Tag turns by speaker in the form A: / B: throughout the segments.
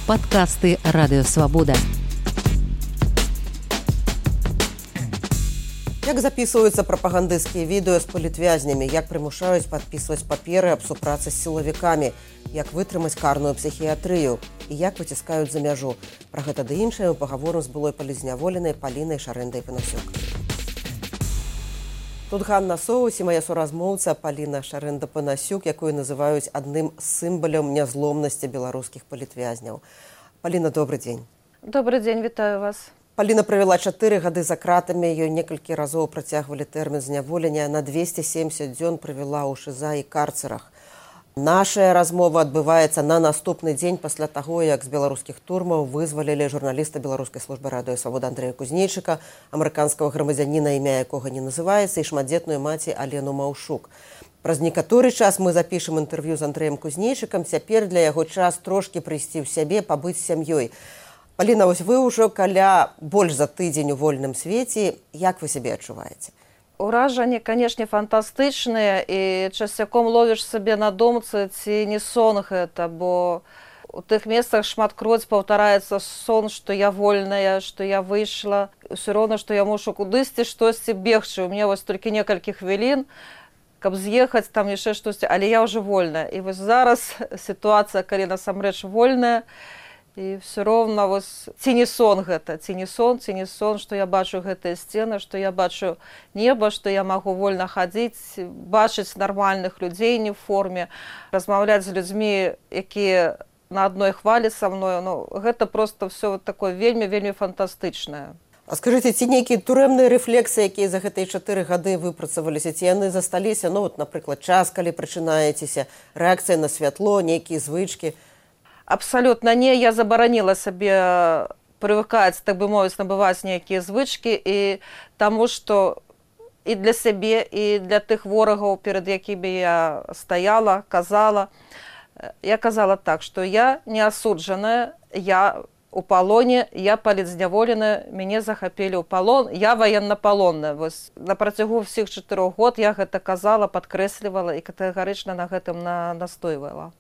A: Падкасты Радыёвабода.
B: Як записываются прапагандысцкія відэо з палітвязнямі, як прымушаюць падпісваць паперы аб супрацы з сілавікамі, як вытрымаць карную псіхіятрыю і як выціскаюць за мяжу. Пра гэта ды іншае мы пагаворым з былой палізняволенай Палінай Шарэндай-Панасюк. Тут Ганна Соус і мая суразмоўца Паліна Шарэнда-Панасюк, якую называюць адным з сімвалаў нязломнасці беларускіх палітвязняў. Паліна, добрый дзень.
C: Добрый дзень, вітаю вас.
B: Паліна правяла 4 гады за кратамі, ёй некалькі разоў працягвалі тэрмін зняволення, на 270 дзён правяла ў ШЗА і карцерах. Нашая размова адбываецца на наступны дзень пасля таго, як з беларускіх турмаў вызвалілі журналіста Беларускай службы Радыёвабода Андрэя Кузнейчыка, амерыканскага грамадзяніна, імя якога не называецца, і шматдзетную маці Алену Маўшук. Праз некаторы час мы запішам інтэрв'ю з Андрэем Кузнейчыкам, цяпер для яго час трошкі прыйсці ў сябе, пабыць з сям'ёй. Паліна, вось вы ўжо каля больш за тыдзень у вольным свеце. Як вы сябе адчуваеце?
C: Уражанні, канешне, фантастычныя, і часцяком ловіш сабе на думцы, ці не сон гэта, бо у тых месцах шматкроць паўтараецца сон, што я вольная, што я выйшла. Усё роўна, што я мушу кудысьці штосьці бегчы. У мяне вось толькі некалькі хвілін, каб з'ехаць, там яшчэ штосьці, але я ўжо вольная. І вось зараз сітуацыя, калі насамрэч вольная, і все роўна, вось, ці не сон гэта, ці не сон, што я бачу гэтыя сцены, што я бачу неба, што я магу вольна хадзіць, бачыць нармальных людзей не ў форме, размаўляць з людзьмі, якія на адной хвалі са мною. Ну, гэта проста все такое вельмі фантастычнае.
B: А скажыце, ці нейкія турэмныя рэфлексы, якія за гэтыя 4 гады выпрацаваліся, ці яны засталіся, ну, вот, напрыклад, час, калі прачынаецеся, рэакцыя на святло, нейкія звычкі?
C: Абсалютна не, я забараніла сабе прывыкаць, так бы мовіць, набываць нейкія звычкі, і таму што і для сябе, і для тых ворагаў, перад якімі я стаяла, казала. Я казала так, што я не асуджаная, я у палоне, я палітзняволеная, мяне захапілі ў палон, я ваеннапалонная. Вось на працягу ўсіх 4 год я гэта казала, падкрэслівала і катэгарычна на гэтым настойвала.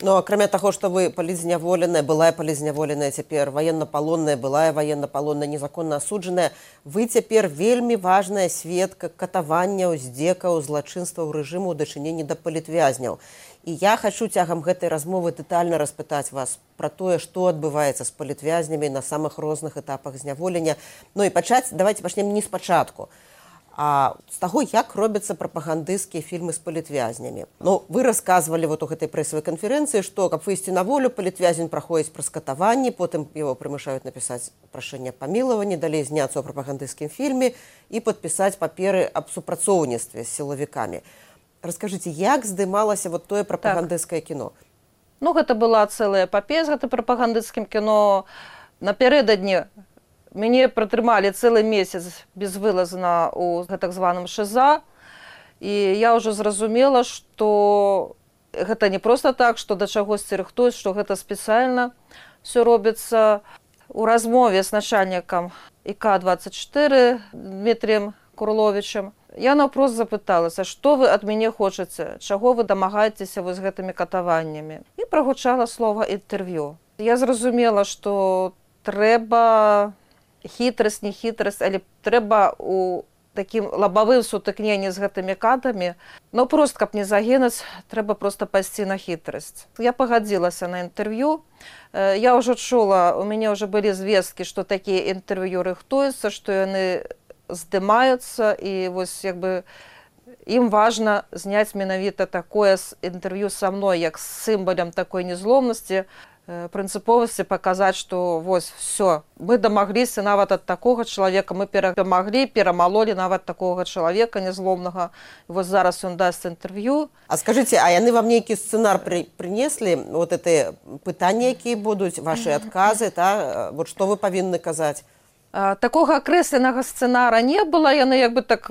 B: Ну, акрамя таго, што вы палітзняволеная, былая палітзняволеная цяпер, ваеннапалонная, былая ваеннапалонная, незаконна асуджаная, вы цяпер вельмі важная сведка катаванняў, здзекаў, злачынстваў рэжыму ў дачыненні да палітвязняў. І я хачу цягам гэтай размовы дэтальна распытаць вас пра тое, што адбываецца з палітвязнямі на самых розных этапах зняволення. Ну і давайте пачнем не спачатку, а з таго, як робяцца прапагандысцкія фільмы з палітвязнямі. Ну, вы расказвалі вот у гэтай прэсавай канферэнцыі, што каб выйсці на волю, палітвязень праходзіць праз катаванні, потым яго прымушаюць напісаць прашэнне памілавання, далей зняцца ў прапагандысцкім фільме і падпісаць паперы аб супрацоўніцтве з сілавікамі. Раскажыце, як здымалася вот тое прапагандысцкае кіно?
C: Ну, гэта была цэлая эпапея з гэтым прапагандысцкім кіно. Напярэдадні мяне пратрымалі цэлы месяц безвылазна ў гэтак званым ШЗА, і я ўжо зразумела, што гэта не проста так, што да чагосьці рыхтуюць, што гэта спецыяльна ўсё робіцца. У размове з начальнікам ІК-24 Дмітріем Курловічем я наўпрост запыталася, што вы ад мяне хочаце, чаго вы дамагаецеся вось гэтымі катаваннямі. І прагучала слова інтэрв'ю. Я зразумела, што трэба хітрасць, не хітрасць, але трэба у такім лабавым сутыкненні з гэтымі катамі, ну прост, каб не загінуць, трэба проста пайсці на хітрасць. Я пагадзілася на інтэрв'ю. Я ўжо чула, у мяне ўжо былі звесткі, што такія інтэрв'ю рыхтуюцца, што яны здымаюцца, і вось як бы ім важна зняць менавіта такое інтэрв'ю са мной, як з сімвалам такой незломнасці, прынцыповасці паказаць, што вось все, мы дамагліся нават ад такога чалавека, мы перамаглі, перамалолі нават такога чалавека незломнага. Вось зараз ён дасць інтэрв'ю.
B: А скажыце, а яны вам нейкі сцэнар прынеслі? Вот гэтыя пытанні, якія будуць, вашы адказы, та? Вот што вы павінны казаць?
C: Такога акрэсленага сцэнара не было, яны як бы так...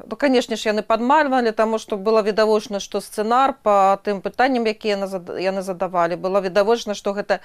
C: Ну, канешне ж, яны падмальвалі, таму што было відавочна, што сцэнар па тым пытанням, якія яны задавалі, было відавочна, што гэта,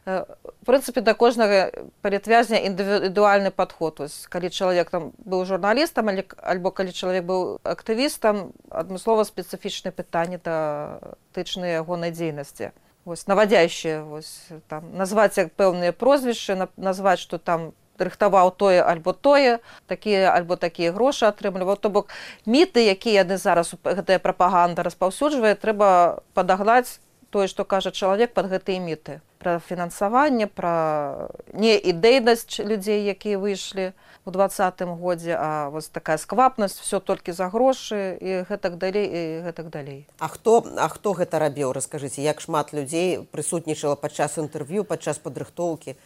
C: в прынцыпе, да кожнага палітвязня індывідуальны падход. Ось, калі чалавек там быў журналістам, альбо калі чалавек быў актывістам, адмыслова спецыфічныя пытанні датычныя ягонай дзейнасці. вось, навадзящыя, вось, там, назваць як пэўныя прозвішчы, назваць, што там рыхтаваў тое альбо тое, такія альбо такія грошы атрымліваў. То бок міты, якія яны зараз, гэтая прапаганда распаўсюджвае, трэба падагнаць тое, што кажа чалавек пад гэтыя міты. Пра фінансаванне, пра неідэйнасць людзей, якія выйшлі у 2020 годзе, а вось такая сквапнасць, все толькі за грошы і гэтак далей, і гэтак далей.
B: А хто гэта рабіў? Раскажыце, як шмат людзей прысутнічала падчас інтэрв'ю, падчас падрыхтоўкі?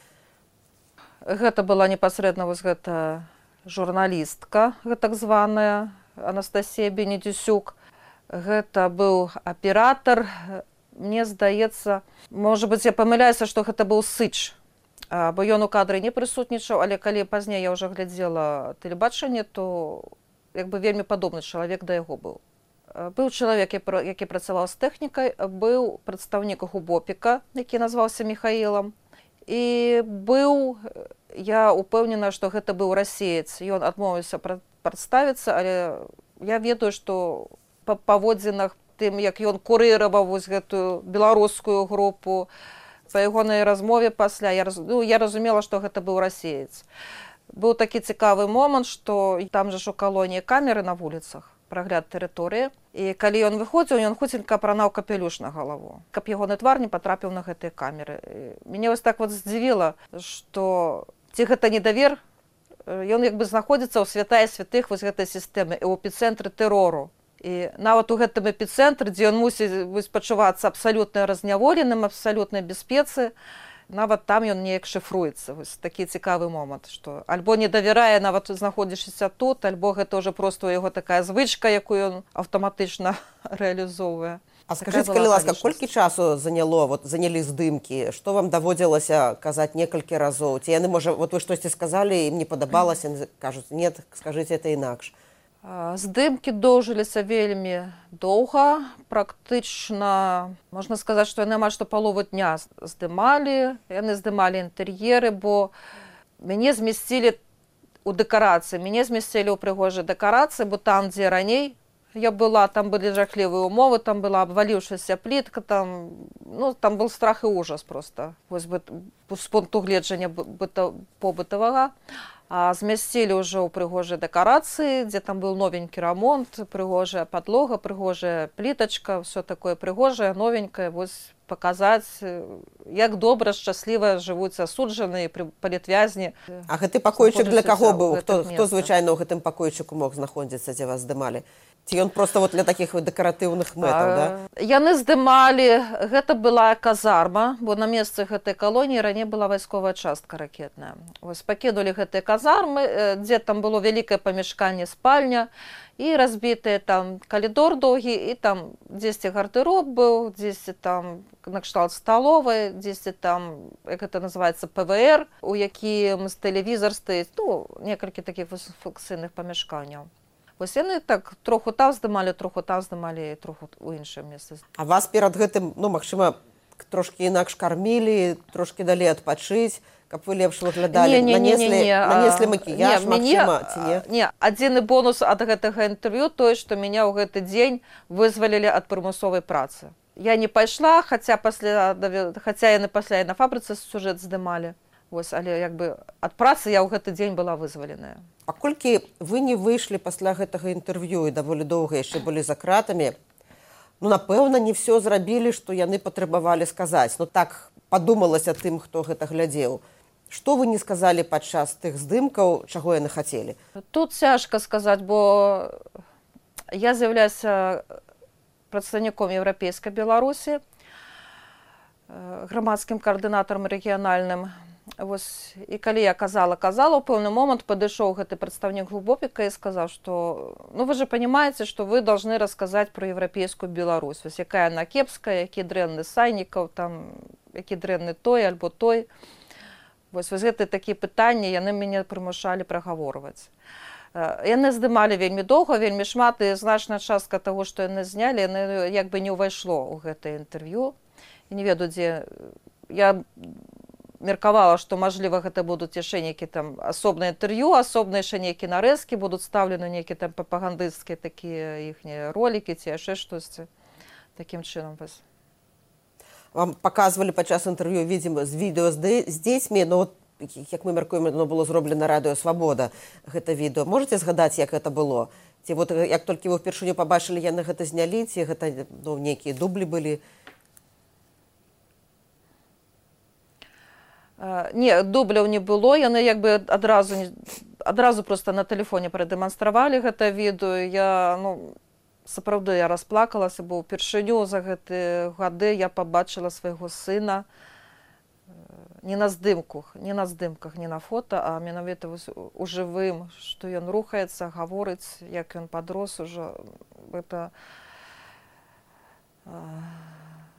C: Гэта была непасрэдна вось гэта журналістка, гэтак званая, Анастасія Бенедзюсюк. Гэта быў аператар. Мне здаецца, можа быць, я памыляюся, што гэта быў Сыч, бо ён у кадры не прысутнічаў, але калі пазней я ўжо глядзела тэлебачанне, то як бы вельмі падобны чалавек да яго быў. Быў чалавек, які працаваў з тэхнікай, быў прадстаўнік Губопіка, які назваўся Міхаілам, і быў, я упэўнена, што гэта быў расеец. Ён адмовіўся прадставіцца, але я ведаю, што па паводзінах тым, як ён курыраваў вось гэтую беларускую групу, па ягонай размове пасля, я разумела, што гэта быў расеец. Быў такі цікавы момант, што там жа ж у калоніі камеры на вуліцах, прагляд тэрыторыі, і калі ён выходзіў, ён хуценька апранаў капелюш на галаву, каб ягоны твар не патрапіў на гэтыя камеры. Мяне вось так вот здзівіла, што ці гэта недавер, ён як бы знаходзіцца ў святая святых вось гэтай сістэмы, у эпіцэнтры тэрору. І нават у гэтым эпіцэнтры, дзе ён мусіць пачувацца абсалютна разняволеным, абсалютнай бяспецы, нават там ён неяк шыфруецца. Вось такі цікавы момант, што альбо не давярае, нават знаходзішся тут, альбо гэта ўжо проста ў яго такая звычка, якую ён аўтаматычна рэалізоўвае.
B: А скажыце, калі ласка, колькі часу занялі здымкі? Што вам даводзілася казаць некалькі разоў? Ці яны, можа, вы штосьці сказалі, ім не падабалася, кажуць, не, скажыце, это інакш.
C: Здымкі доўжыліся вельмі доўга, практычна, можна сказаць, што яны амаль што палову дня здымалі, яны здымалі інтэр'еры, бо мяне змясцілі ў дэкарацыі, мяне змясцілі ў прыгожай дэкарацыі, бо там, дзе раней я была, там былі жахлівыя ўмовы, там была абваліўшаяся плітка, там был страх і ужас проста, вось з пункту гледжання побытавага. А змясцілі ўжо ў прыгожай дэкарацыі, дзе там быў новенькі рамонт, прыгожая падлога, прыгожая плітачка, все такое прыгожае, новенькае, вось паказаць, як добра, шчасліва жывуць асуджаныя палітвязні.
B: А гэты пакойчык для каго быў? Хто звычайна ў гэтым пакойчыку мог знаходзіцца, дзе вас здымалі? Ці ён проста для такіх дэкаратыўных мэтаў, да?
C: Яны здымалі, гэта была казарма, бо на месцы гэтай калоніі раней была вайсковая частка ракетная. Вось пакінулі гэтыя казармы, дзе там было вялікае памяшканне, спальня, і разбітыя там калідор доўгі, і там дзесьці гардэроб быў, дзесьці там накшталт сталовай, дзесьці там, як гэта называецца, ПВР, у якім тэлевізар стаіць, некалькі такіх функцыйных памяшканняў. Вось яны так троху там здымалі, троху ў іншае месца.
B: А вас перад гэтым, магчыма, трошкі інакш кармілі, трошкі далі адпачыць, каб вы лепш выглядалі, нанеслі макіяж, магчыма, ці не?
C: Не, адзіны бонус ад гэтага інтэрв'ю тое, што мяне ў гэты дзень вызвалілі ад прымусовай працы. Я не пайшла, хаця яны пасля і на фабрыцы сюжэт здымалі. Вось, але як бы ад працы я ў гэты дзень была вызваленая.
B: Паколькі вы не выйшлі пасля гэтага інтэрв'ю і даволі доўга яшчэ былі за кратамі, напэўна, не ўсё зрабілі, што яны патрабавалі сказаць. Так падумалася тым, хто гэта глядзеў. Што вы не сказалі падчас тых здымкаў, чаго яны хацелі?
C: Тут цяжка сказаць, бо я з'яўляюся прадстаўніком Еўрапейскай Беларусі, грамадскім каардынатарам рэгіянальным. Вось, і калі я казала, у пэўны момант падышоў гэты прадстаўнік Губопіка і сказаў, што вы же понимаете, што вы должны расказаць пра еўрапейскую Беларусь. Вось якая яна кепская, які дрэнны Сайнікаў, там, які дрэнны той альбо той. Вось гэтыя такія пытанні яны мяне прымушалі прагаворваць. Яны здымалі вельмі доўга, вельмі шмат, і значная частка таго, што яны знялі, яны як бы не ўвайшло ў гэтае інтэрв'ю. І не ведаю, дзе я меркавала, што, мажліва, гэта будуць яшчэ нейкі там асобнае інтэрв'ю, асобныя яшчэ нейкія нарэзкі, будуць стаўлены нейкія там прапагандысцкія такія іхнія ролікі ці яшчэ штосьці такім чынам.
B: Вам показывали падчас інтэрв'ю, видимо, з відео з дзецьмі, но вот, як мы мяркуем, оно было зроблена Радыё Свабода, гэта відэо. Можете згадаць, як гэта было? Ці вот як толькі вы впершыню пабачылі, яны гэта знялі, ці гэта нейкія дублі былі?
C: Не, дубляў не было, яны як бы адразу просто на тэлефоне прадэманстравалі гэта відэо. Я, сапраўды, я расплакалася, бо ўпершыню за гэтыя гады я пабачыла свайго сына не на здымках, не на фото, а менавіта у жывым, што ён рухаецца, гаворыць, як ён падрос ужо. Гэта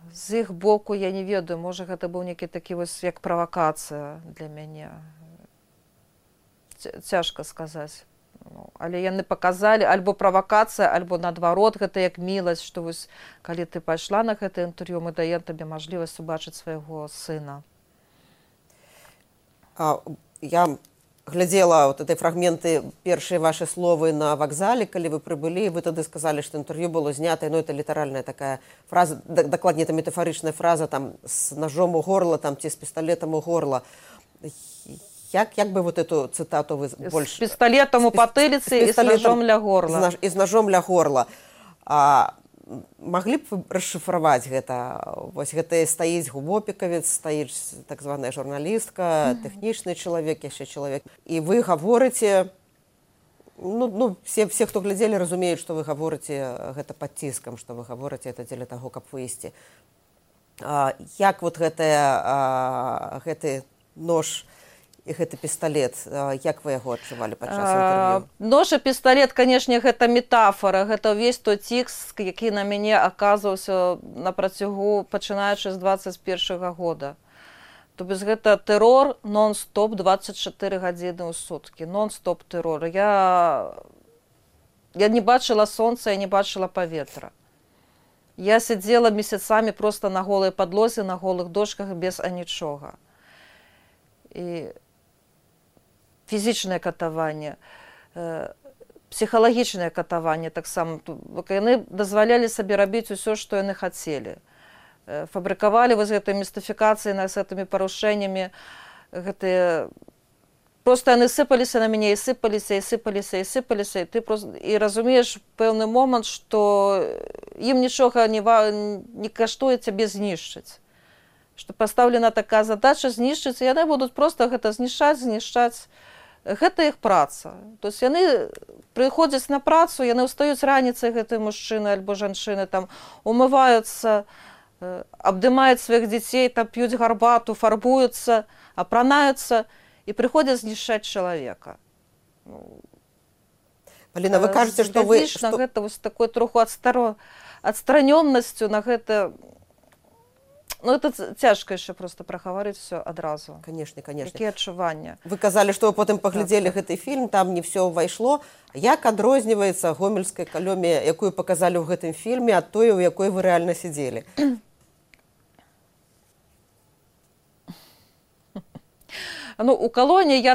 C: з іх боку я не ведаю, можа гэта быў нейкі такі вось як правакацыя для мяне. Цяжка сказаць. Але яны паказалі альбо правакацыя, альбо наадварот, гэта як міласць, што вось калі ты пайшла на гэта інтэрв'ю, мы даем табе мажлівасць убачыць свайго сына.
B: Я глядзела вот этой фрагменты, першыя ваши словы на вакзале, калі вы прыбылі, вы тады сказалі, што інтэрв'ю было знятае, это літаральная такая фраза, дакладней, это метафарычная фраза, там, з ножом у горла, там, ці з пісталетам у горла. Як бы вот эту цытату вы больш...
C: З пісталетам у патыліцы і з ножом ля горла.
B: І з ножом ля горла. Маглі б вы расшыфраваць гэта? Вось гэта стаіць губопікавец, стаіць так званая журналістка, тэхнічны чалавек, яшчэ чалавек. І вы гаворыце, все, хто глядзелі, разумеюць, што вы гаворыце гэта пад ціскам, што вы гаворыце гэта дзеля таго, каб выйсці. Як вот гэты нож і гэты пісталет, як вы яго адчувалі падчас інтэрв'ю?
C: Нож і пісталет, канешне, гэта метафора, гэта ўвесь той ціск, які на мяне аказваўся на працягу, пачынаючы з 21-го года. То бок гэта тэрор нон-стоп 24 гадзіны ў суткі, нон-стоп тэрор. Я не бачыла сонца, я не бачыла паветра. Я сидзела месяцамі просто на голай падлозе, на голых дошках без анічога. І фізічнае катаванне, псіхалагічнае катаванне таксама. Яны дазвалялі сабе рабіць усё, што яны хацелі. Фабрыкавалі вось гэтай містыфікацыі з гэтымі парушэннямі. Просто яны сыпаліся на мяне, і сыпаліся, і сыпаліся, і сыпаліся. І разумееш пэўны момант, што ім нічога не каштуе цябе знішчыць. Што пастаўлена такая задача знішчыць, і яны будуць проста гэта знішчаць. Гэта іх праца. То есть яны прыходзяць на працу, яны ўстаюць раніцай, гэты мужчыны альбо жанчыны, там умываюцца, абдымаюць сваіх дзяцей, там п'юць гарбату, фарбуюцца, апранаюцца і прыходзяць знішчаць чалавека.
B: Паліна, вы кажаце, што вы...
C: Гэта вось такой троху адстранённасцю на гэта... это цяжка яшчэ проста прагаварыць все адразу.
B: Конечно.
C: Якія адчуванні.
B: Вы казалі, што вы потым паглядзелі гэты фільм, там не все ўвайшло. Як адрозніваецца гомельская калонія, якую паказалі ў гэтым фільме, ад той, у якой вы рэальна сидзелі?
C: У калоніі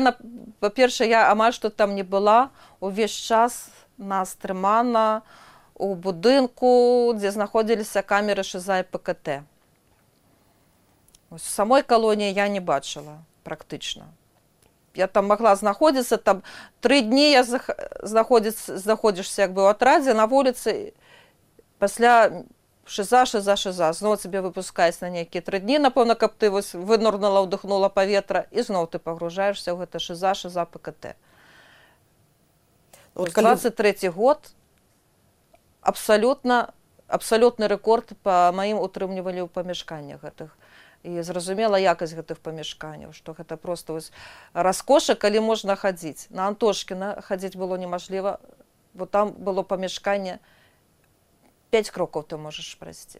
C: па-першае, я амаль што там не была. Увесь час нас трымана у будынку, дзе знаходзіліся камеры ШЗА і ПКТ. В самой калоніі я не бачыла практычна. Я там магла знаходзіцца, там 3 дні я знаходзішся як бы ў атрадзе на вуліцы, пасля ШЗА, зноў цябе выпускаюць на нейкія 3 дні, напэўна, каб ты вынурнула, ўдыхнула паветра, і зноў ты пагружаешся ў гэта ШЗА, ПКТ. 23 год абсалютны рэкорд па маім утрымлівалі ў памяшканнях гэтых. І зразумела якасць гэтых памяшканняў, што гэта проста раскоша, калі можна хадзіць. На Антошкіна хадзіць было немажліва, бо там было памяшканне 5 крокаў ты можаш прайсці.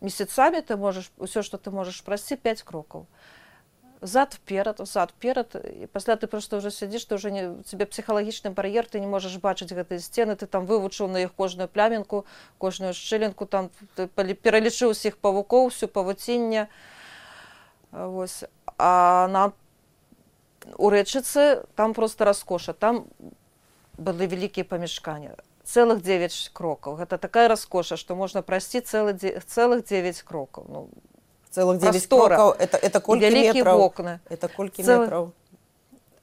C: Месяцамі ты можаш, усё, што ты можаш прайсці, 5 крокаў. Зад-вперад, і пасля ты проста ўжо сядзіш, ты ўжо цябе псіхалагічны бар'ер, ты не можаш бачыць гэтыя сцены, ты там вывучыў на іх кожную плямінку, кожную шчылінку, там пералічыў усіх павукоў, усю павуцінне. А у Рэчыцы там проста раскоша, там былі вялікія памяшканні. Цэлых 9 крокаў. Гэта такая раскоша, што можна прайсці цэлых 9 крокаў.
B: Целых 9
C: прастора.
B: крокаў, это колькі
C: вялікія
B: метраў?
C: вокны.
B: Это колькі
C: Цэлы-
B: метраў?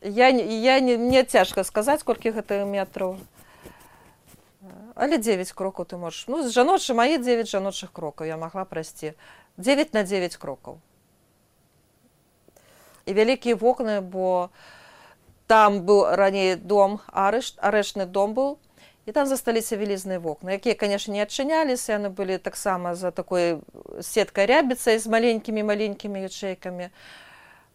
C: Мне цяжка сказаць, колькі гэта метраў. Але 9 крокаў ты можаш. Ну, мае 9 жаночых крокаў я магла прайсці. 9 на 9 крокаў. І вялікія вокны, бо там быў раней дом, арэштны дом быў, і там засталіся вялізныя вокны, якія, канешне, не адчыняліся, яны былі таксама за такой сеткай рябіцай з маленькімі ячэйкамі.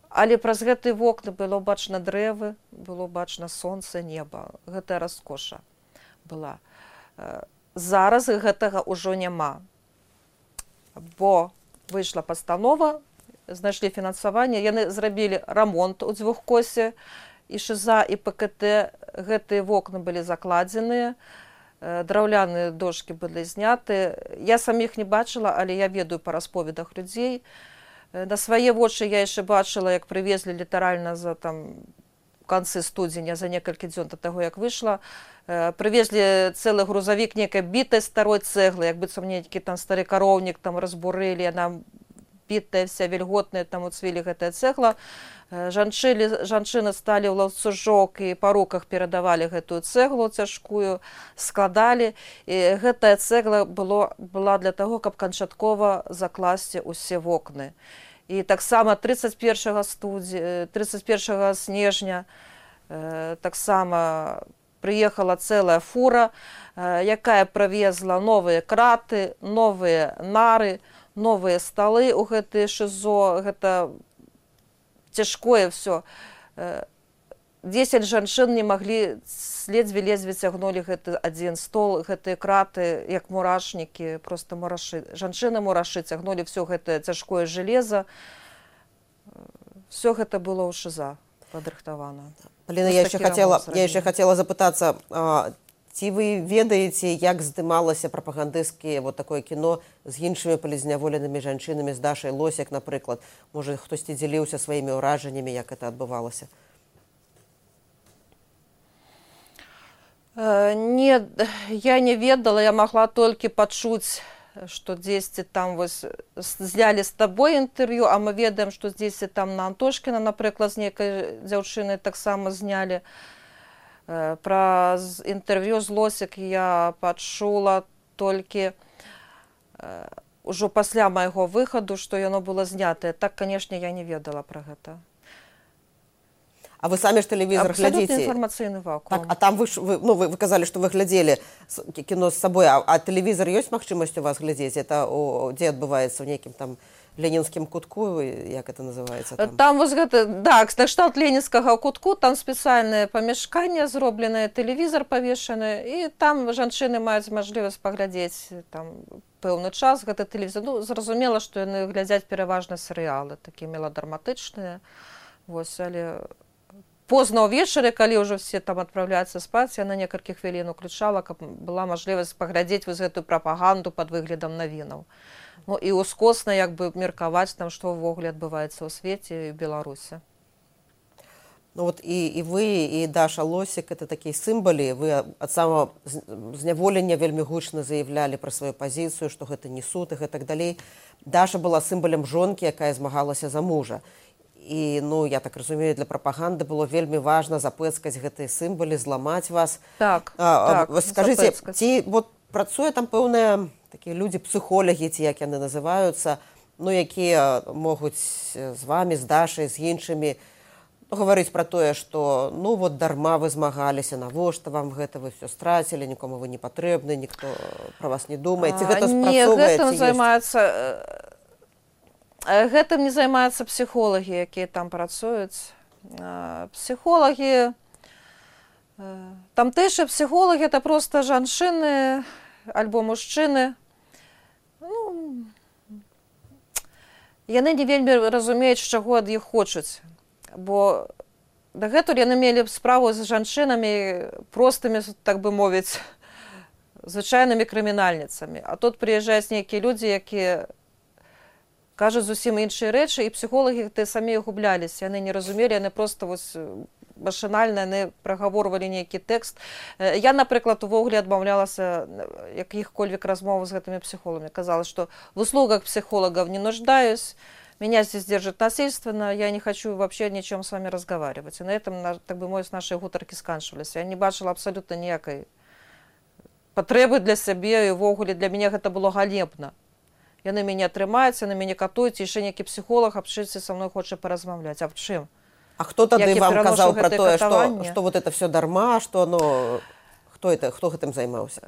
C: Але праз гэтыя вокны было бачна дрэвы, было бачна сонца, неба. Гэта раскоша была. Зараз гэтага ўжо няма. Бо выйшла пастанова, знайшлі фінансаванне, яны зрабілі рамонт у Дзвюхкосе, і ШЗА, і ПКТ. Гэтыя вокны былі закладзеныя, драўляныя дошкі былі зняты. Я саміх не бачыла, але я ведаю па расповедах людзей. На свае вочы я яшчэ бачыла, як прывезлі літаральна за канцы студзеня, за некалькі дзён да таго, як выйшла. Прывезлі цэлы грузавік нейкай бітай старой цэглы, як быццам нейкі там стары кароўнік там разбурылі, яна бітая вся вільготная, там уцвілі гэтая цэгла. Жанчыны сталі ў ланцужок і па руках перадавалі гэтую цэглу цяжкую, складалі. І гэтая цэгла была для таго, каб канчаткова закласці ўсе вокны. І таксама 31 снежня таксама прыехала цэлая фура, якая прывезла новыя краты, новыя нары, новыя сталы ў гэтыя ШЗО, гэта цяжкое ўсё. 10 жанчын не маглі, ледзьве цягнулі гэты адзін стол, гэтыя краты, як мурашнікі, проста мурашы. Жанчыны-мурашы цягнулі ўсё гэтае цяжкое жалеза. Всё гэта было ў ШЗА падрыхтавана.
B: Паліна, я яшчэ хацела запытацца, ці вы ведаеце, як здымалася прапагандысцкае такое кіно з іншымі палізняволенымі жанчынамі, з Дашай Лосек, напрыклад? Можа, хтосьці дзяліўся сваімі ўражаннямі, як гэта адбывалася?
C: Не, я не ведала, я магла толькі пачуць, што дзесьці там знялі з табой інтэрв'ю, а мы ведаем, што дзесьці там на Антошкіна, напрыклад, з нейкай дзяўчынай таксама знялі. Пра інтэрв'ю з Лосек я пачула толькі ўжо пасля майго выхаду, што яно было знятае. Так, канешне, я не ведала пра гэта.
B: А вы самі ж тэлевізор глядзіце?
C: Абсалютна інфармацыйны вакуум.
B: Так, а там вы казалі, што вы глядзелі кіно з сабой, а тэлевізор ёсць магчымасць у вас глядзець? Это дзе адбываецца, у нейкім там ленінскім кутку, як это называецца?
C: Там гэта, да, кшталт ленінскага кутку, там спецыяльнае памяшканне зробленае, тэлевізор павешаны, і там жанчыны маюць мажлівасць паглядзець там пэўны час гэты тэлевізор. Ну, зразумела, што яны глядзяць пераважна серыялы, такія меладраматычныя. Вось, але позна ўвечары, калі ўжо все там адпраўляюцца спаць, я на некалькі хвілін уключала, каб была мажлівасць паглядзець вось гэтую прапаганду пад выглядам навінаў. Ну, і ускосна як бы меркаваць там, што ўвогуле адбываецца ў свеце і ў Беларусі.
B: Ну, вот і вы, і Даша Лосек, это такія сімвалы. Вы ад самого зняволення вельмі гучна заяўлялі пра сваю пазіцыю, што гэта не суд і гэтак далей. Даша была сімвалем жонкі, якая змагалася за мужа. І, ну, я так разумею, для прапаганды было вельмі важна запэцкаць гэтыя сімвалы, зламаць вас.
C: Так,
B: скажыце, ці працуе там пэўныя такія людзі, псіхолагі, ці як яны называюцца, ну, якія могуць з вамі, з Дашай, з іншымі гаварыць пра тое, што ну вот дарма вы змагаліся, навошта вам гэта, вы все страцілі, нікому вы не патрэбны, ніхто пра вас не думае. Ці гэта спрацоўваецца?
C: Гэтым не займаюцца псіхолагі, якія там працуюць. Псіхолагі, тамтэйшыя псіхолагі, это проста жанчыны альбо мужчыны. Ну, яны не вельмі разумеюць, чаго ад іх хочуць. Бо дагэтуль яны мелі справу з жанчынамі простымі, так бы мовіць, звычайнымі крымінальніцамі. А тут прыязджаюць нейкія людзі, якія кажуць зусім іншыя рэчы, і псіхолагі самі губляліся. Яны не разумелі, яны проста машынальна яны прагаворвалі нейкі тэкст. Я, напрыклад, увогуле адмаўлялася якіх-кольвек размоваў з гэтымі псіхолагамі. Казала, што в услугах психологов не нуждаюсь, меня здесь держит насильственно, я не хочу вообще ни о чем с вами разговаривать. И на этом, так бы мовіць, наши гутарки сканчивались. Я не бачила абсолютно ніякай патрэбы для сябе, і ўвогуле для мяне гэта было ганебна. Яны мяне трымаюць, яны мяне катуюць, і яшчэ нейкі псіхолог абчыцца са мной хоча паразмаўляць. А в чым?
B: А хто тады вам казаў пра тое, што вот это все дарма, што оно... Хто гэтым займаўся?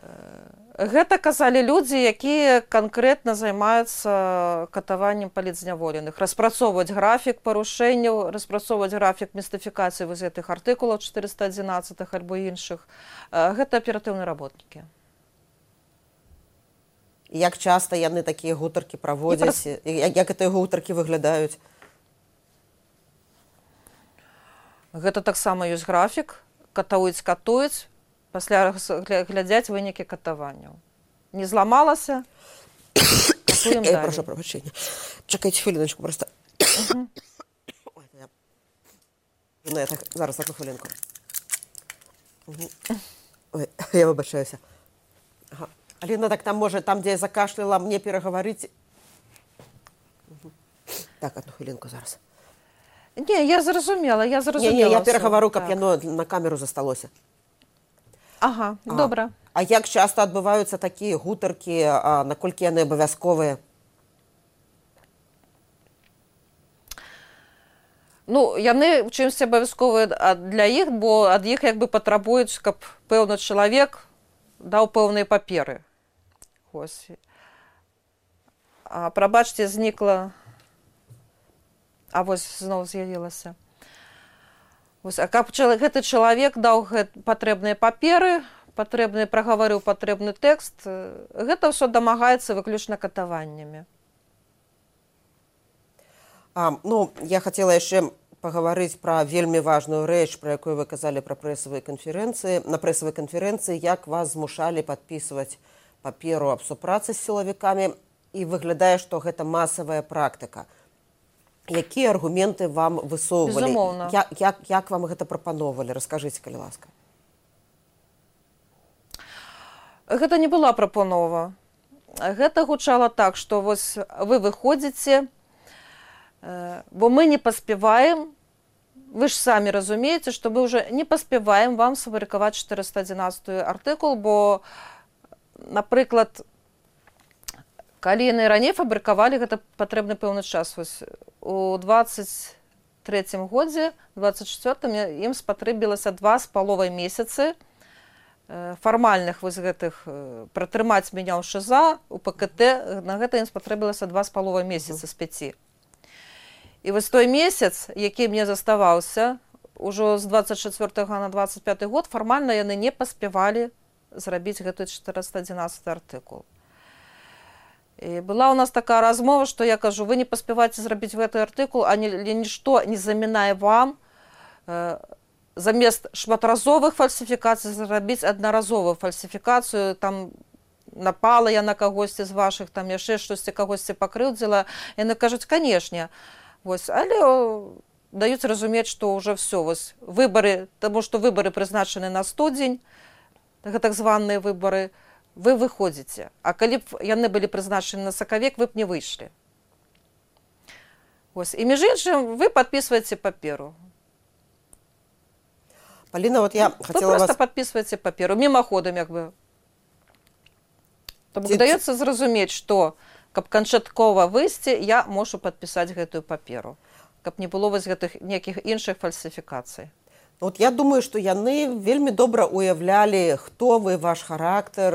C: Гэта казалі людзі, якія канкрэтна займаюцца катаваннем палітзняволеных. Распрацоўваць графік парушэнняў, распрацоўваць графік містыфікацыі вось гэтых артыкулаў 411 альбо іншых. Гэта аператыўныя работнікі.
B: Як часта яны такія гутаркі праводзяць? Як гэтыя гутаркі выглядаюць?
C: Гэта таксама ёсць графік. Катуюць, пасля глядзяць вынікі катаванняў. Не зламалася, катуем далі.
B: Прошу прабачэння. Чакайце хвіліночку проста. Я так, зараз одну хвілінку. Ой, я вибачаюся. Ага. Аліна, так там може, там, де я закашляла, мне переговорити. Так, одну хвилинку зараз.
C: Не, я зрозуміла.
B: Не, я переговорю, каб яно на камеру засталося.
C: Ага, добре.
B: А як часто адбываюцца такія гутаркі, наколькі яны абавязковыя?
C: Ну, яны чымсьці абавязковыя для іх, бо ад іх як бы патрабуюць, каб пэўны чалавек даў пэўныя паперы. Ось. А прабачце, знікла. А вось зноў з'явілася. Ось, а каб гэты чалавек даў патрэбныя паперы, прагаварыў патрэбны тэкст, гэта ўсё дамагаецца выключна катаваннямі.
B: Ну, я хотела яшчэ паговорыць пра вельмі важную рэч, пра якую вы казалі пра прэсавыя канферэнцыі. На прэсавай канферэнцыі, як вас змушалі падпісваць паперу аб супрацы з сілавікамі, і выглядае, што гэта масавая практыка. Якія аргументы вам высоўвалі?
C: Безумоўна.
B: Як вам гэта прапаноўвалі? Раскажыце, калі ласка.
C: Гэта не была прапанова. Гэта гучала так, што вось вы выходзіце, бо мы не паспяваем, вы ж самі разумееце, што мы ўжо не паспяваем вам сфабрыкаваць 411 артыкул, бо, напрыклад, калі яны раней фабрыкавалі, гэта патрэбны пэўны час. Вось у 23-м годзе, 24-м, ім спатрэбілася 2,5 месяцы фармальных вось гэтых пратрымаць мяне ў ШЗА, у ПКТ, на гэта ім спатрэбілася 2,5 месяцы з 5. І вось той месяц, які мне заставаўся, ужо з 24 на 25 год, фармальна яны не паспявалі зрабіць гэты 411 артыкул. І была у нас такая размова, што я кажу, вы не паспяваеце зрабіць гэты артыкул, а нішто не замінае вам замест шматразовых фальсіфікацый зрабіць аднаразовую фальсіфікацыю, там напала я на кагосьці з вашых, там яшчэ штосьці кагосьці пакрыўдзіла. Яны кажуць, канешне, вось, але даюць разумець, што ўжо все, вось, выбары, таму што выбары прызначаны на студзень, гэта так званыя выбары, вы выходзіце. А калі б яны былі прызначаны на сакавік, вы б не выйшлі. Ось. І між іншым, вы падпісваеце паперу.
B: Паліна, вот я хотела вас...
C: Вы проста падпісваеце паперу, мімаходам, як бы. Таму даецца зразумець, што, каб канчаткова выйсці, я можу падпісаць гэтую паперу. Каб не было вось гэтых нейкіх іншых фальсіфікацый.
B: Вот я думаю, што яны вельмі добра уяўлялі, хто вы, ваш характар,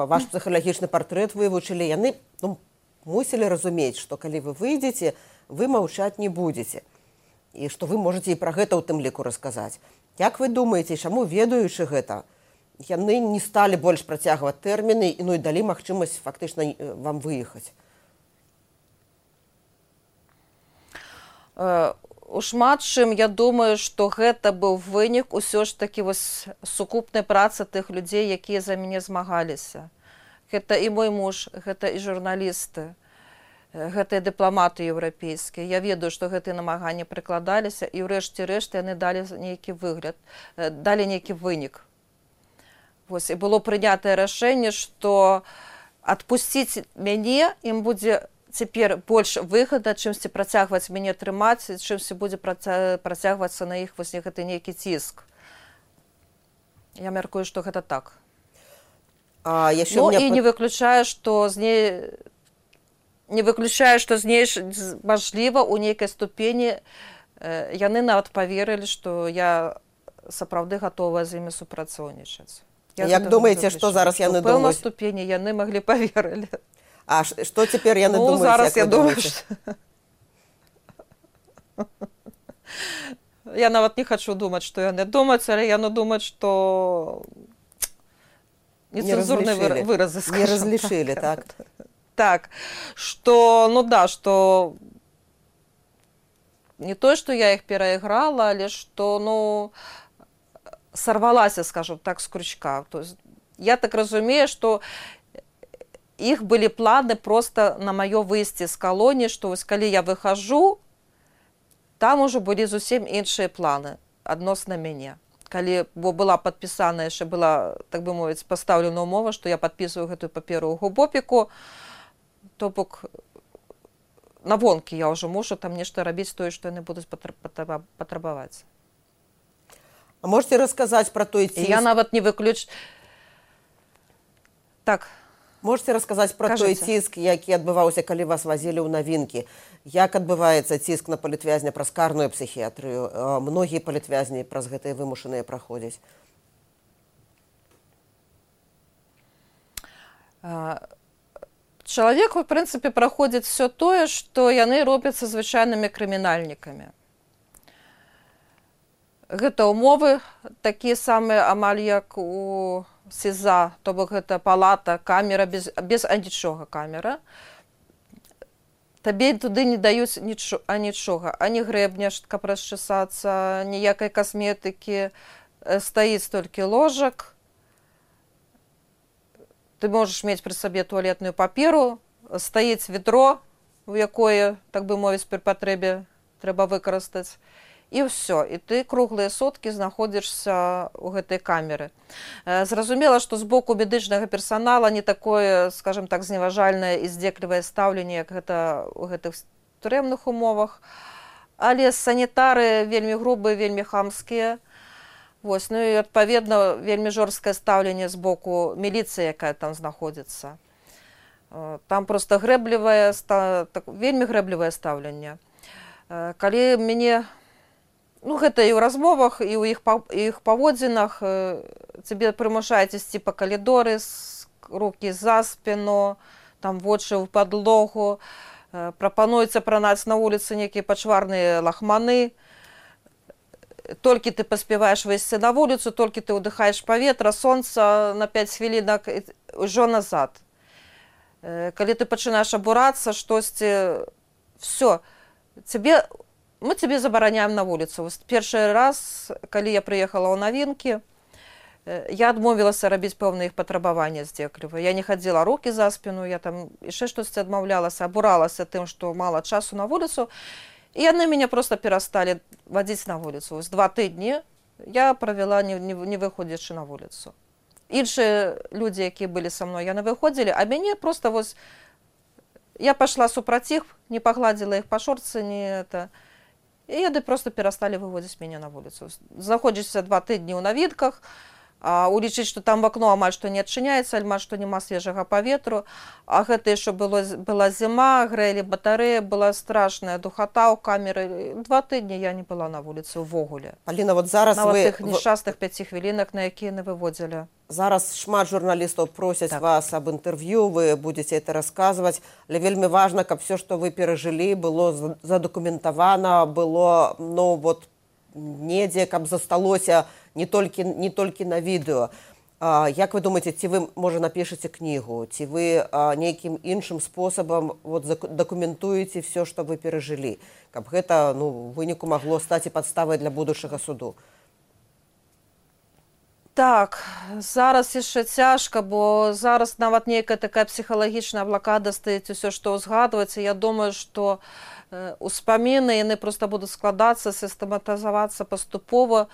B: ваш псіхалагічны партрэт вывучылі. Яны мусілі разумець, што калі вы выйдзеце, вы маўчаць не будзеце. І што вы можаце і пра гэта ў тым ліку расказаць. Як вы думаеце, чаму, ведаючы гэта, яны не сталі больш працягваць тэрміны, ну і далі магчымасць фактычна вам выехаць?
C: У шмат чым, я думаю, што гэта быў вынік усё ж такі вось сукупнай працы тых людзей, якія за мяне змагаліся. Гэта і мой муж, гэта і журналісты. гэтыя дыпламаты еўрапейскія. Я ведаю, што гэтыя намаганні прыкладаліся, і ўрэшце рэшт яны далі нейкі выгляд, далі нейкі вынік. Вось, і было прынятае рашэнне, што адпусціць мяне ім будзе цяпер больш выгадна, чымсьці працягваць мяне трымаць, чымсьці будзе працягвацца на іх вось гэты нейкі ціск. Я мяркую, што гэта так. І не выключаю, што мажліва, у нейкай ступені яны нават паверылі, што я сапраўды гатовая з імі супрацоўнічаць.
B: Як думаеце, што зараз яны думаюць?
C: У пэўнай ступені яны маглі паверылі.
B: А што цяпер яны думаюць?
C: Зараз я думаю, я нават не хачу думаць, што яны думаюць, але яны думаюць, што нецэнзурныя выразы, скажам.
B: Не разлічылі, так?
C: Так, што, што не то, што я іх перайграла, але што, сорвалася, скажем так, з крючка. То есть, я так разумею, што іх былі планы просто на маё выйсце з калоніі, што вось калі я выхожу, там ужо былі зусім іншыя планы адносна мяне. Бо была падпісана, яшчэ была, так бы мовіць, пастаўлена ўмова, што я падпісваю гэтую паперу ў губопіку, то бок на вонкі я ўжо мушу там нешта рабіць тое, што яны будуць патрабаваць.
B: А можете расказаць пра той ціск?
C: Я нават не Так.
B: Можете расказаць пра той ціск, які адбываўся, калі вас вазілі ў навінкі? Як адбываецца ціск на палітвязня праз карную псіхіятрыю? Многія палітвязні праз гэтыя вымушаныя праходзяць.
C: Чалавек, у прынцыпе, праходзіць все тое, што яны робяцца звычайнымі крымінальнікамі. Гэта ўмовы такія самыя амаль як у СІЗА, то бок гэта палата, камера, без анічога камера. Табе туды не даюць нічога, ані грэбняшка расчесацца, ніякай касметыкі, стаіць толькі ложак. Ты можаш мець пры сабе туалетную паперу, стаіць ведро, у якое, так бы мовіць, пры патрэбе трэба выкарыстаць. І ўсё, і ты круглыя суткі знаходзішся ў гэтай камеры. Зразумела, што з боку медычнага персанала не такое, скажем так, зневажальнае і здзеклівае стаўленне, як гэта ў гэтых турэмных умовах. Але санітары вельмі грубыя, вельмі хамскія. Вось, і, адпаведна, вельмі жорсткае стаўленне з боку міліцыі, якая там знаходзіцца. Там проста вельмі грэблівае стаўленне. Калі мяне... гэта і ў размовах, і ў іх паводзінах. Цябе прымушаюць ісці па калідоры, рукі за спіну, там вочы ў падлогу. Прапануецца пранаць на вуліцы нейкія пачварныя лахманы. Толькі ты паспяваеш выйсці на вуліцу, толькі ты ўдыхаеш паветра, сонца на 5 хвілінак, ўжо назад. Калі ты пачынаеш абурацца, штосьці, все, мы цябе забараняем на вуліцу. Першы раз, калі я прыехала ў навінкі, я адмовілася рабіць пэўныя іх патрабаванні здзекліва. Я не хадзіла рукі за спіну, я там яшчэ штосьці адмаўлялася, абуралася тым, што мала часу на вуліцу. І яны мяне проста перасталі вадзіць на вуліцу. 2 тыдні я правяла, не выходзячы на вуліцу. Іншыя людзі, якія былі са мной, яны выходзілі, а мяне проста вось... Я пайшла супраць іх, не пагладзіла іх па шорцы, не это... І яны проста перасталі выводзіць мяне на вуліцу. Знаходзішся 2 тыдні ў навінках, улічыць, што там в акно амаль што не адчыняецца, амаль што няма свежага паветру, а гэта яшчэ была зіма, грэлі батарэі, была страшная духата ў камеры. 2 тыдні я не была на вуліцы ўвогуле.
B: Аліна, вот зараз
C: нават тых нешчасных 5 хвілінак, на якія яны выводзілі.
B: Зараз шмат журналістаў просяць вас аб інтэрв'ю, вы будзеце это расказваць, але вельмі важна, каб все, што вы перажылі, было задакументавана, было, недзе, каб засталося не толькі на відэо. Як вы думаеце, ці вы, можа, напішаце кнігу, ці вы нейкім іншым спосабам дакументуеце все, што вы перажылі, каб гэта, у выніку магло стаць і падставай для будучага суду?
C: Так, зараз яшчэ цяжка, бо зараз нават нейкая такая псіхалагічная блакада стаіць усё, што ўзгадваецца. Я думаю, што успаміны, яны проста будуць складацца, сістэматызавацца паступова.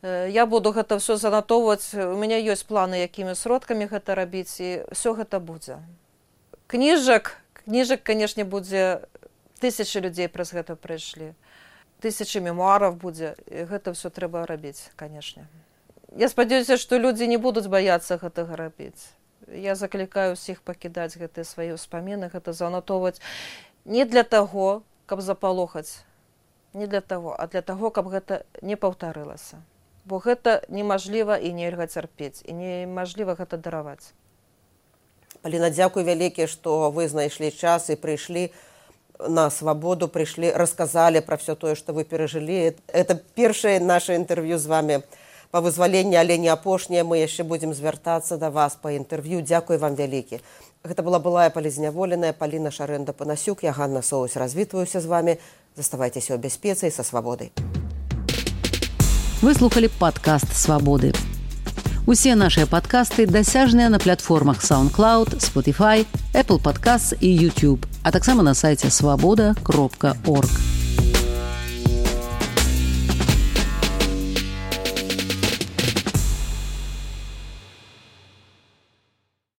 C: Я буду гэта ўсё занатоўваць. У мяне ёсць планы, якімі сродкамі гэта рабіць, і ўсё гэта будзе. Кніжак, канешне, будзе, тысячы людзей праз гэта прыйшлі. Тысячы мемуараў будзе, і гэта ўсё трэба рабіць, канешне. Я спадзяюся, што людзі не будуць баяцца гэтага рабіць. Я заклікаю ўсіх пакідаць гэтыя свае ўспаміны, гэта занатоўваць не для таго, каб запалохаць, не для таго, а для таго, каб гэта не паўтарылася. Бо гэта немажліва і нельга цярпець, і немажліва гэта дараваць.
B: Паліна, дзякуй вялікі, што вы знайшлі час і прыйшлі на свабоду, прыйшлі, расказалі пра ўсё тое, што вы перажылі. Это першае наша інтэрв'ю з вамі па вызваленні, але не апошняе. Мы яшчэ будзем звяртацца да вас па інтэрв'ю. Дзякуй вам вялікі. Гэта была былая палізняволеная Паліна Шарэнда-Панасюк. Я, Ганна Соусь, развітваюся з вамі. Заставайцеся ў бяспецы і са свабодай.
A: Вы слухали падкаст «Свабоды». Усе нашыя падкасты дасяжныя на платформах SoundCloud, Spotify, Apple Podcasts і YouTube, а таксама на сайце свабода.орг.